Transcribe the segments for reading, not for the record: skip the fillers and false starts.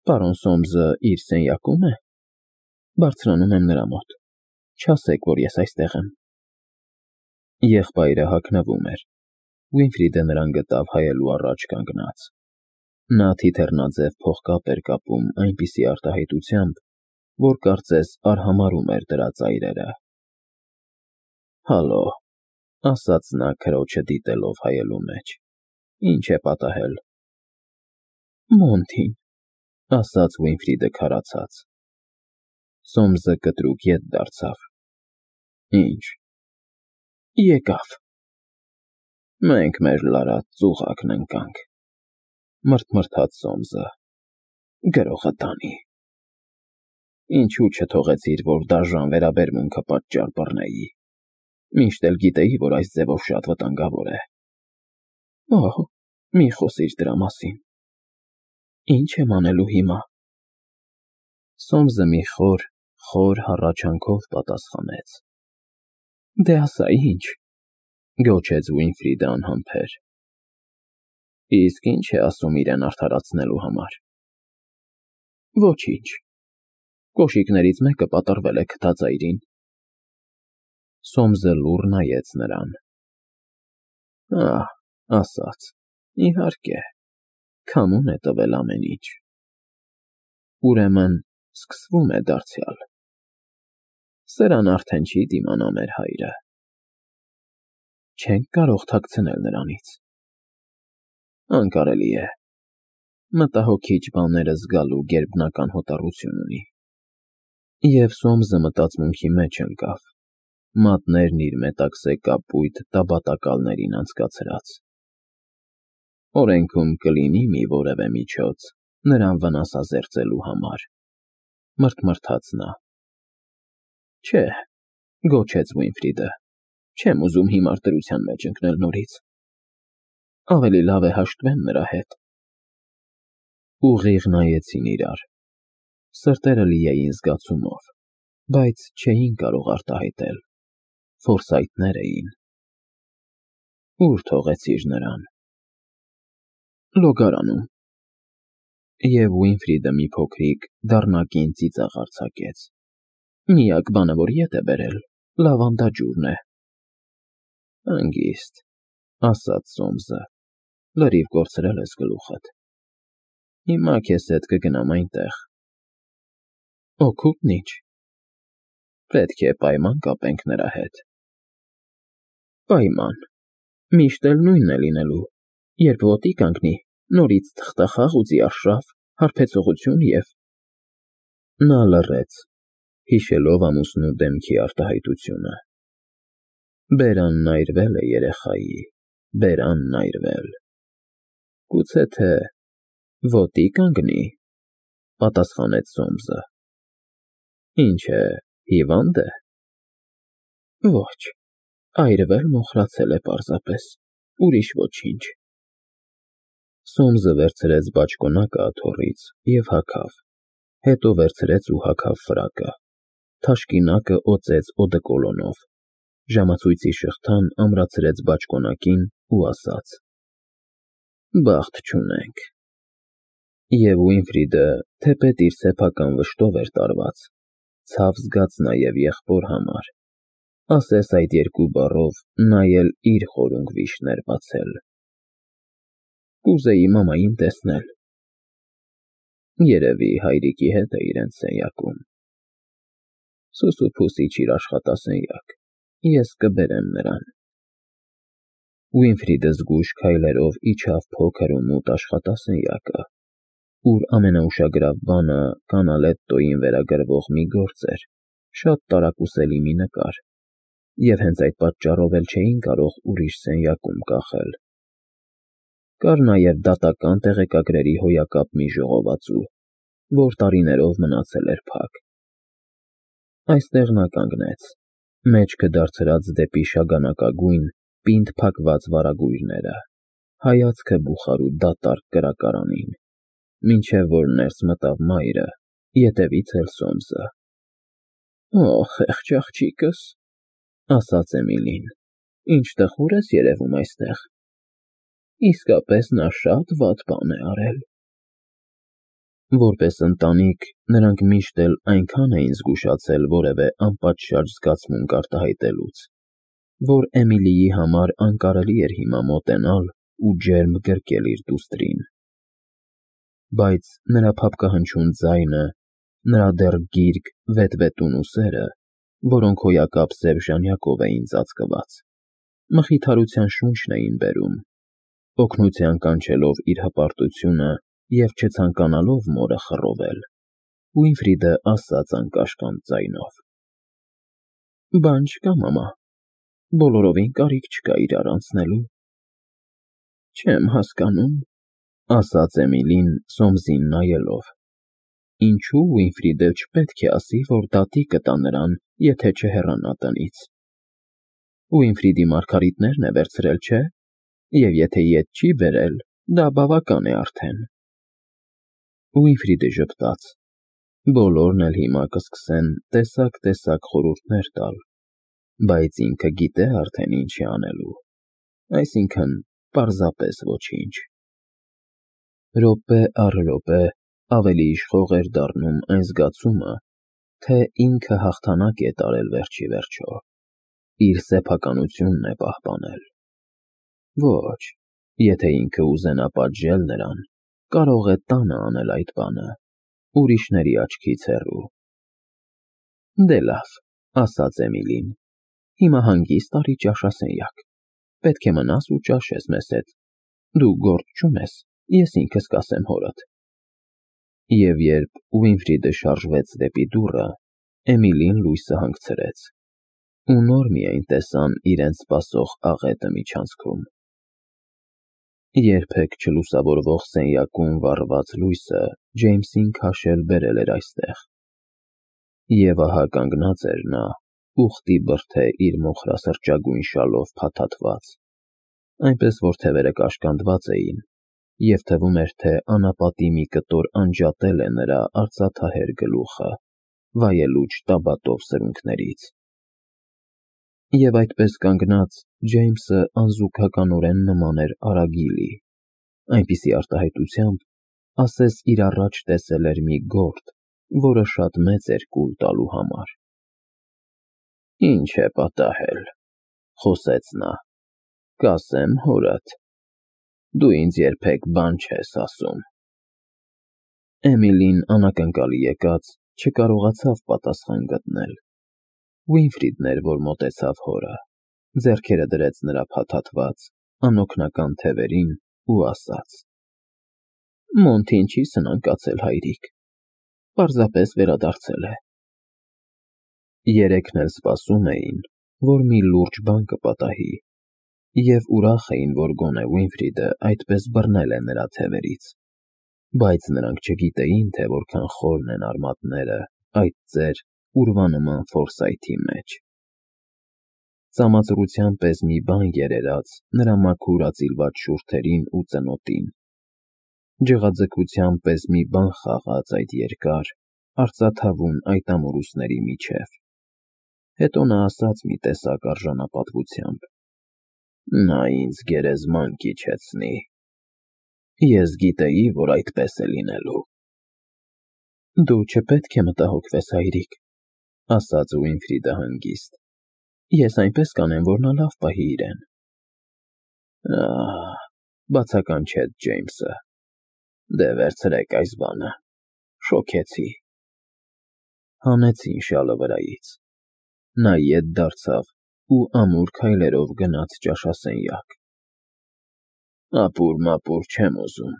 Պարոն Սոմսը իր սենյակո՞ւմ է։ Բարձրանում եմ նրա մոտ։ Չասեք, որ ես այստեղ եմ։ Եղբայրը հագնվում էր։ Վինֆրիդը նրան գտավ հայելու առաջ կանգնած։ Նա թիթեռնաձև փողկապ էր կապում այնպիսի արտահայտությամբ, որ կարծես արհամարհում էր դրա ծայրերը։ Հալո, ասաց նա քրոջը դիտելով հայելու մեջ։ Ինչ է պատահել։ Մոնթին, ասաց Վինֆրիդը քարացած։ Սոմսը կտրուկ ետ դարձավ։ Ինչ։ Եկավ։ Մենք մեր լարած ծուղակն ընկանք, մռթմռթաց Սոմսը։ Գրողը տանի։ Ինչու չթողեցիր, որ դաժան վերաբերմունքը պատճառ բռնեի։ Միշտ էլ գիտեի, որ այս ձևով շատ վտանգավոր է։ Օհ, մի խոսիր դրա մասին։ Ինչ եմ անելու հիմա։ Սոմսը մի խոր հառաչանքով պատասխանեց։ Դե ասա ինչ, գոչեց Վինֆրիդը անհամբեր։ Իսկ ինչ է ասում իրեն արդարացնելու համար։ Ոչինչ։ Կոշիկներից մեկը պատռվել է քթածայրին։ Սոմսը լուռ նայեց նրան։ Ահ, ասաց, իհարկե, քամուն է տվել ամեն ինչ։ Ուրեմն սկսվում է դարձյալ։ Սրան արդեն չի դիմանա մեր հայրը։ Չենք կարող թաքցնել նրանից։ Անկարելի է։ Մտահոգիչ բաները զգալու գերբնական հոտառություն ունի։ Եվ Սոմսը մտածմունքի մեջ ընկավ, մատներն իր մետաքսե կապույտ տաբատակալներին անցկացրած։ Օրենքում կլինի մի որևէ միջոց նրան վնասազերծելու համար, մռթմռթաց նա։ Չէ, գոչեց Վինֆրիդը, չեմ ուզում հիմար դրության մեջ ընկնել նորից։ Ավելի լավ է հաշտվեմ նրա հետ։ Ուղիղ նայեցին իրար։ Սրտերը լի էին զգացումով, բայց չէին կարող արտահայտել։ Ֆորսայթներ էին։ Ուր թողեցիր նրան։ Լոգարանում։ Եվ Վինֆրիդը մի փոքրիկ դառնակին ծիծաղ արձակեց։ Միակ բանը, որ ետ է բերել, լավանդաջուրն է։ Հանգիստ, ասաց Սոմսը, լրիվ կորցրել ես գլուխդ։ Հիմա քեզ հետ կգնամ այնտեղ։ Օգուտն ինչ։ Պետք է պայման կապենք նրա հետ։ Պայման։ Միշտ էլ նույնն է լինելու, երբ ոտի կանգնի, նորից թղթախաղ ուզի արշավ, հարբեցողություն և… Նա լռեց, հիշելով ամուսնու դեմքի արտահայտությունը։ Բերանն այրվել է երեխայի, բերանն այրվել։ Գուցե թե ոտի կանգնի, պատասխանեց Սոմսը։ Ինչ է, հիվա՞նդ է։ Ոչ, այրվել մոխրացել է պարզապես, ուրիշ ոչինչ։ Սոմսը վերցրեց բաճկոնակը աթոռից և հագավ, հետո վերցրեց ու հագավ ֆրակը, թաշկինակը օծեց օդեկոլոնով, ժամացույցի շղթան ամրացրեց բաճկոնակին ու ասաց. Բախտ չունենք։ Եվ Վինֆրիդը, թեպետ իր սեփական վշտով էր տարված, ցավ զգաց նաև եղբոր համար, ասես այդ երկու բառով նա էլ իր խորունգ վիշտն էր բացել։ Կուզեի մամային տեսնել։ Երևի հայրիկի հետ է իրենց սենյակում։ Սուսուփուս իջիր աշխատասենյակ, ես կբերեմ նրան։ Վինֆրիդը զգույշ քայլերով իջավ փոքր ու մութ աշխատասենյակը, ուր ամենաուշագրավ բանը Կանալետտոյին վերագրվող մի գործ էր, շատ տարակուսելի մի նկար, և հենց այդ պատճառով էլ չէին կարող ուրիշ սենյակում կախել։ Կար նաև դատական տեղեկագրերի հոյակապ մի ժողովածու, որ տարիներով մնացել էր փակ։ Այստեղ նա կանգնեց, մեջքը դարձրած դեպի շագանակագույն, պինդ փակված վարագույրները, հայացքը բուխար ու դատարկ կրակարանին, մինչև որ ներս մտավ մայրը, ետևից էլ Սոմսը։ Օ, խեղճ աղջիկս, ասաց Էմիլին, ինչ տխուր ես երևում այստեղ։ Իսկապես նա շատ վատ բան է արել։ Որպես ընտանիք, նրանք միշտ էլ այնքան էին զգուշացել որևէ անպատշաճ զգացմունք արտահայտելուց, որ Էմիլիի համար անկարելի էր հիմա մոտենալ ու ջերմ գրկել իր դուստրին։ Բայց նրա փափկահնչյուն ձայնը, նրա դեռ գիրկ, վետվետուն ուսերը, որոնք հոյակապ սև ժանյակով էին ծածկված, մխիթարության շունչն էին բերում, օգնության կանչելով իր հպարտությունը և չցանկանալով մորը խռովել, Ուինֆրիդը ասաց անկաշկանդ ձայնով. «Բան չկա, մամա, բոլորովին կարիք չկա իրար անցնելու»։ «Չեմ հասկանում», ասաց Էմիլին Սոմսին նայելով, «ինչու Ուինֆրիդը չպետք է ասի, որ դատի կտա նրան, եթե չհեռանա տնից։ Ուինֆրիդի մարգարիտներն է վերցրել, չէ՞, և եթե ետ չի բերել, դա բավական է արդեն»։ Ուինֆրիդը ժպտաց. բոլորն էլ հիմա կսկսեն տեսակ խորհուրդներ տալ, բայց ինքը գիտե արդեն ինչ է անելու, այսինքն՝ պարզապես ոչինչ։ Րոպե առ րոպե ավելի իշխող էր դառնում այն զգացումը, թե ինքը հաղթանակ է տարել վերջիվերջո, իր սեփականությունն է պահպանել։ Ոչ, եթե ինքը ուզենա պատժել նրան, կարող է տանը անել այդ բանը, ուրիշների աչքից հեռու։ «Դե լավ», ասաց Էմիլին, «հիմա հանգիստ արի ճաշասենյակ, պետք է մնաս ու ճաշես մեզ հետ, դու գործ չունես, ես ինքս կասեմ հորդ»։ Եվ երբ Ուինֆրիդը շարժվեց դեպի դուռը, Էմիլին լույսը հանգցրեց, ու նոր միայն տեսան իրենց սպասող աղետը միջանցքում։ Երբեք չլուսավորվող սենյակում վառված լույսը Ջեյմսին քաշել բերել էր այստեղ։ Եվ ահա կանգնած էր նա, ուխտի բրդե իր մոխրասրճագույն շալով փաթաթված, այնպես որ թևերը կաշկանդված էին, և թվում էր, թե անապատի մի կտոր անջատել է նրա արծաթահեր գլուխը, վայելուչ տաբատով սրունքներից։ Եվ այդպես կանգնած, Ջեյմսը անզուգականորեն նման էր արագիլի, այնպիսի արտահայտությամբ, ասես իր առաջ տեսել էր մի գորդ, որը շատ մեծ էր կուլ տալու համար։ «Ինչ է պատահել», խոսեց նա, «կասեմ հորդ, դու ինձ երբեք բան չես ասում»։ Էմիլին անակնկալի եկած չկարողացավ պատասխան գտնել։ Ուինֆրիդն էր, որ մոտեցավ հորը, ձեռքերը դրեց նրա փաթաթված, անօգնական թևերին ու ասաց. «Մոնթին չի սնանկացել, հայրիկ, պարզապես վերադարձել է»։ Երեքն էլ սպասում էին, որ մի լուրջ բան կպատահի, և ուրախ էին, որ գոնե Ուինֆրիդը այդպես բռնել է նրա թևերից, բայց նրանք չգիտեին, թե որքան խորն են արմատները այդ ծեր ուրվանման ֆորսայթի մեջ։ Ծամածռության պես մի բան երերաց նրա մաքուր ածիլված շուրթերին ու ծնոտին, ջղաձգության պես մի բան խաղաց այդ երկար, արծաթավուն այտամոր ուսների միջև։ Հետո նա ասաց մի տեսակ արժանապատվությամբ. «Նա ինձ գերեզման կիջեցնի։ Ես գիտեի, որ այդպես է լինելու»։ «Դու չպետք է մտահոգվես, հայրիկ», ասաց Ուինֆրիդը հանգիստ, «ես այնպես կանեմ, որ նա լավ պահի իրեն»։ «Ահ», բացականչեց Ջեյմսը, «դե վերցրեք այս բանը, շոգեցի»։ Հանեցին շալը վրայից։ Նա ետ դարձավ ու ամուր քայլերով գնաց ճաշասենյակ։ «Ապուր-մապուր չեմ ուզում»,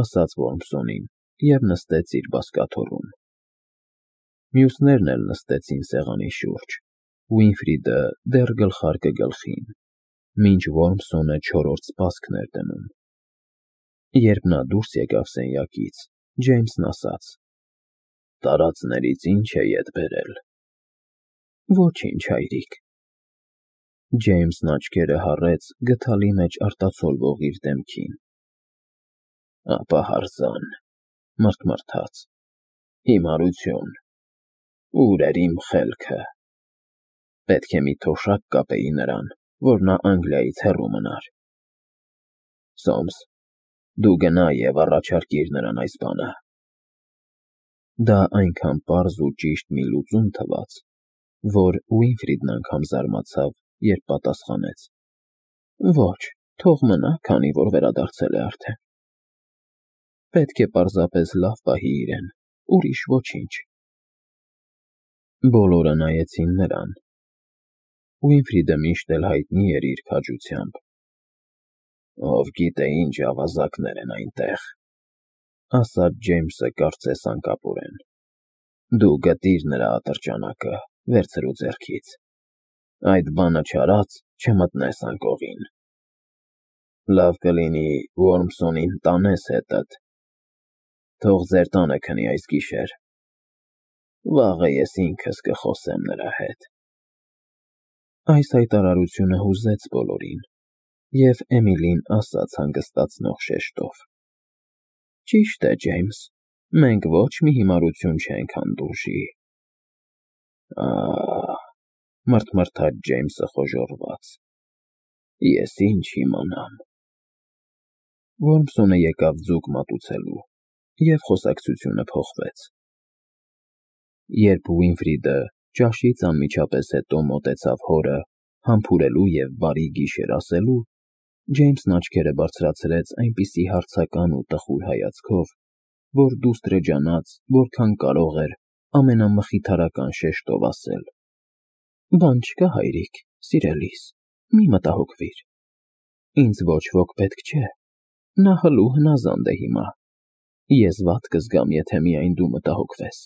ասաց Որմսոնին և նստեց իր բազկաթոռում։ Մյուսներն էլ նստեցին սեղանի շուրջ, Ուինֆրիդը դեռ գլխարկը գլխին, մինչ Որմսոնը չորրորդ սպասքն էր դնում։ Երբ նա դուրս եկավ սենյակից, Ջեյմսն ասաց. «Տարածներից ի՞նչ է ետ բերել»։ «Ոչինչ, հայրիկ»։ Ջեյմսն աչքերը հառեց գդալի մեջ արտացոլվող իր դեմքին։ «Ապա հարզան», մռթմռթաց, «հիմարություն, ուր էր իմ խելքը։ Պետք է մի թոշակ կապեի նրան, որ նա Անգլիայից հեռու մնար։ Սոմս, դու գնա և առաջարկիր նրան այս բանը, Դա այնքան պարզ ու ճիշտ մի լուծում թվաց, որ Ուինֆրիդն անգամ զարմացավ, երբ պատասխանեց. Ոչ, թող մնա, քանի որ վերադարձել է արդեն։ Պետք է պարզապես լավ պահի իրեն, ուրիշ ոչինչ։ Բոլորը նայեցին նրան։ Ուինֆրիդը միշտ էլ հայտնի էր իր քաջությամբ։ Ով գիտե ինչ ավազակներ են այնտեղ, ասաց Ջեյմսը կարծես անկապորեն։ Դու գտիր նրա ատրճանակը, վերցրու ձեռքից։ Այդ բանը չարած չմտնես անկողին։ Լավ կլինի Ոռմսոնին տանես հետդ։ Թող ձեր տանը քնի այս գիշեր։ Վաղը ես ինքս կխոսեմ նրա հետ։ Այս հայտարարությունը հուզեց բոլորին, և Էմիլին ասաց հանգստացնող շեշտով. Ճիշտ է, Ջեյմս, մենք ոչ մի հիմարություն չենք հանդուրժի։ Ահ, մռթմռթաց Ջեյմսը խոժոռված։ Ես ինչ իմանամ։ Ոռմսոնը եկավ ձուկ մատուցելու, և խոսակցությունը փոխվեց։ Երբ Ուինֆրիդը ճաշից անմիջապես հետո մոտեցավ հորը, համբուրելու և բարի գիշեր ասելու, Ջեյմսն աչքերը բարձրացրեց այնպիսի հարցական ու տխուր հայացքով, որ դուստր ջանաց, որքան կարող էր ամենամխիթարական շեշտով ասել. Բան չկա, հայրիկ, սիրելիս, մի մտահոգվիր։ Ինձ ոչ ոք պետք չէ, նա հլու հնազանդ է հիմա, ես վատ կզգամ, եթե միայն դու մտահոգվես։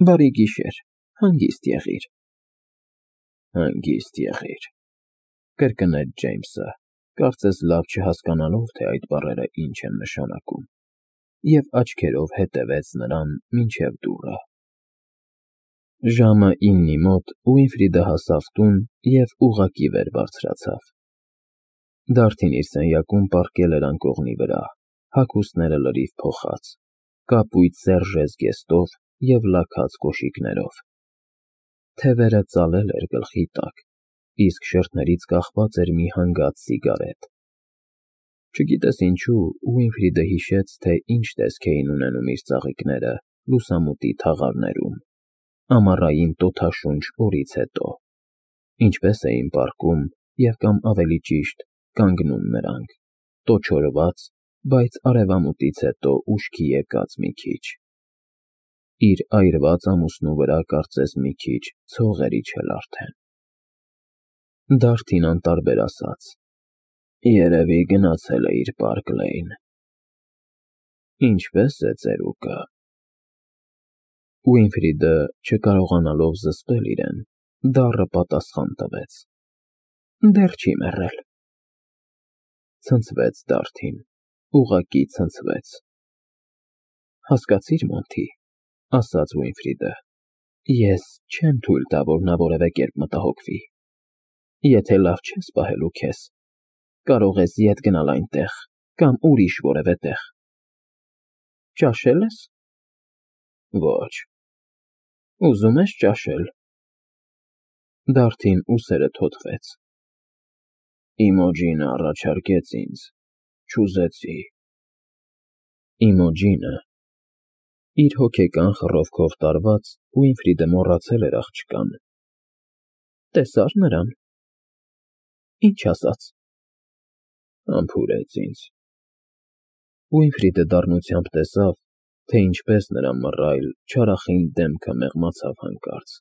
Բարի գիշեր, հանգիստ եղիր։ Հանգիստ եղիր, կրկնեց Ջեյմսը, կարծես լավ չհասկանալով, թե այդ բառերը ինչ են նշանակում, և աչքերով հետևեց նրան մինչև դուռը։ Ժամը 9-ի մոտ Ուինֆրիդը հասավ տուն և ուղղակի վեր բարձրացավ։ Դարդին իր սենյակում պառկել էր անկողնի վրա, հագուստները լրիվ փոխած, կապույտ սերժե զգեստով և լաքած կոշիկներով։ Թևերը ծալել էր գլխի տակ, իսկ շրթներից կախված էր մի հանգած սիգարետ։ Չգիտես ինչու, Ուինֆրիդը հիշեց, թե ինչ տեսք էին ունենում իր ծաղիկները լուսամուտի թաղարներում, ամառային տոթաշունչ օրից հետո, ինչպես էին պառկում և կամ ավելի ճիշտ կանգնում նրանք, տոչորված, բայց արևամուտից հետո ուշքի եկած մի քիչ։ Իր այրված ամուսնու վրա կարծես մի քիչ ցող էր իջել արդեն։ Դարդին անտարբեր ասաց. Երևի գնացել է իր Պարկ Լեյն։ Ինչպե՞ս է ծերուկը։ Ուինֆրիդը, չկարողանալով զսպել իրեն, դառը պատասխան տվեց. Դեռ չի մեռել։ Ցնցվեց Դարդին, ուղղակի ցնցվեց։ Հասկացի՞ր, Մոնթի, ասաց Ուինֆրիդը, ես չեմ թույլ տա, որ նա որևէ կերպ մտահոգվի։ Եթե լավ չես պահելու քեզ, կարող ես ետ գնալ այնտեղ կամ ուրիշ որևէ տեղ։ Ճաշե՞լ ես։ Ոչ։ Ուզում ես ճաշել։ Դարդին ուսերը թոթվեց։ Իմոջինը առաջարկեց ինձ, չուզեցի։ Իմոջինը։ Իր հոգեկան խռովքով տարված Ուինֆրիդը մոռացել էր աղջկան։ Տեսա՞ր նրան։ Ինչ ասաց։ Համբուրեց ինձ։ Ուինֆրիդը դառնությամբ տեսավ, թե ինչպես նրա մռայլ, չարախինդ դեմքը մեղմացավ հանկարծ։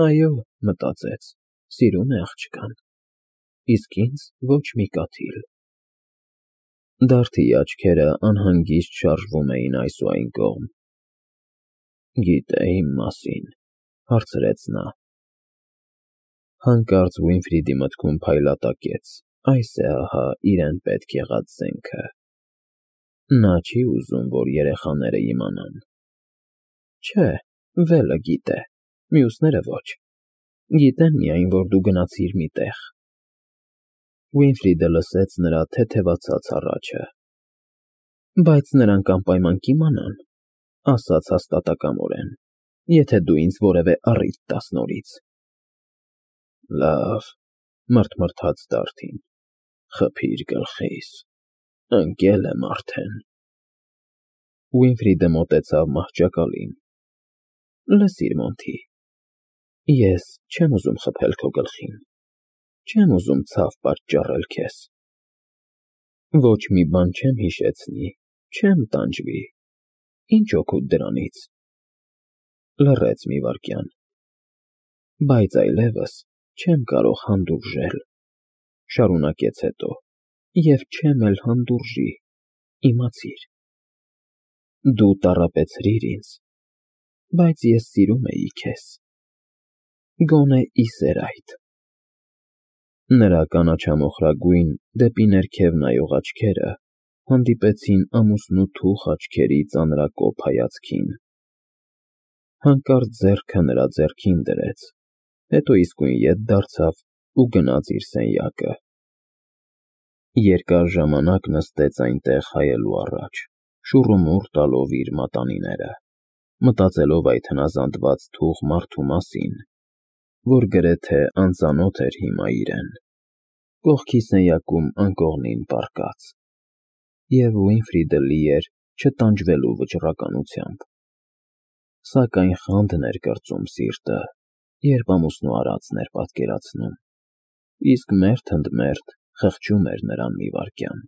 Այո, մտածեց, սիրում է աղջկան, իսկ ինձ ոչ մի կաթիլ։ Դարդիի աչքերը անհանգիստ շարժվում էին այս ու այն կողմ։ Գիտե իմ մասին, հարցրեց նա։ Հանկարծ Ուինֆրիդի մտքում փայլատակեց. այս է ահա իրեն պետք եղած զենքը։ Նա չի ուզում, որ երեխաները իմանան։ Չէ, վելը գիտե, մյուսները ոչ։ Գիտեն միայն, որ դու գնացիր մի տեղ։ Ուինֆրիդը լսեց նրա թեթևացած հառաչը։ Բայց նրանք անպայման կիմանան, ասաց հաստատակամորեն, եթե դու ինձ որևէ առիթ տաս նորից։ Լավ, մռթմռթաց Դարդին, խփիր գլխիս, ընկել եմ արդեն։ Ուինֆրիդը մոտեցավ մահճակալին։ Լսիր, Մոնթի, ես չեմ ուզում խփել քո գլխին, չեմ ուզում ցավ պատճառել քեզ։ Ոչ մի բան չեմ հիշեցնի, չեմ տանջվի, ինչ օգուտ դրանից։ Լռեց մի վայրկյան։ Բայց այլևս չեմ կարող հանդուրժել, շարունակեց հետո, և չեմ էլ հանդուրժի, իմացիր։ Դու տառապեցրիր ինձ, բայց ես սիրում էի քեզ, գոնե ի սեր այդ։ Նրա կանաչամոխրագույն, դեպի ներքև նայող աչքերը հանդիպեցին ամուսնու աչքերի ծանրակոպ հայացքին։ Հանկարծ ձեռքը նրա ձեռքին դրեց, հետո իսկույն ետ դարձավ ու գնաց իր սենյակը։ Երկար ժամանակ նստեց այնտեղ հայելու առաջ, շուռումուռ տալով իր մատանիները, մտածելով այդ հնազանդված թուխ մարդու մասին, որ գրեթե անծանոթ էր հիմա իրեն, կողքի սենյակում անկողնին պառկած, և Ուինֆրիդը լի էր չտանջվելու վճռականությամբ։ Սակայն խանդն էր կրծում սիրտը, երբ ամուսնու արածն էր պատկերացնում, իսկ մերթ ընդ մերթ խղճում էր նրան մի վայրկյան։